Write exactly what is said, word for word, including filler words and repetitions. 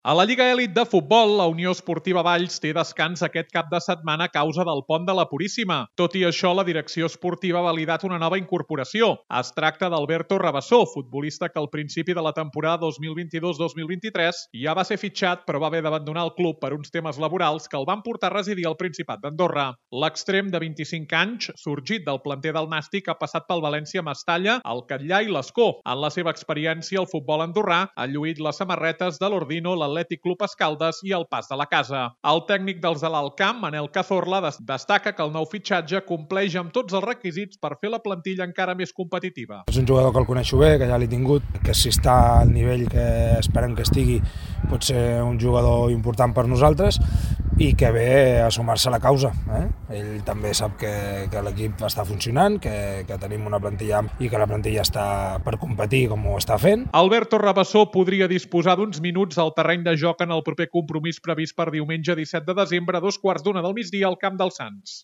A la Lliga Elit de Futbol, la Unió Esportiva Valls té descans aquest cap de setmana a causa del pont de la Puríssima. Tot i això, la direcció esportiva ha validat una nova incorporació. Es tracta d'Alberto Rabassó, futbolista que al principi de la temporada dos mil vint-i-dos dos mil vint-i-tres ja va ser fitxat, però va haver d'abandonar el club per uns temes laborals que el van portar a residir al Principat d'Andorra. L'extrem de vint-i-cinc anys, sorgit del planter del Nàstic, ha passat pel València Mestalla, el Catllà i l'Escó. En la seva experiència al futbol andorrà, ha lluït les samarretes de l'Ordino, l'Atlètic Club Escaldes i el Pas de la Casa. El tècnic dels de l'Alt Camp, Manel Cazorla, destaca que el nou fitxatge compleix amb tots els requisits per fer la plantilla encara més competitiva. És un jugador que el coneixo bé, que ja l'he tingut, que si està al nivell que esperem que estigui pot ser un jugador important per nosaltres i que ve a sumar-se a la causa. Eh? Ell també sap que, que l'equip està funcionant, que, que tenim una plantilla i que la plantilla està per competir com ho està fent. Alberto Rabassó podria disposar d'uns minuts al terreny de joc en el proper compromís previst per diumenge disset de desembre a dos quarts d'una del migdia al Camp dels Sants.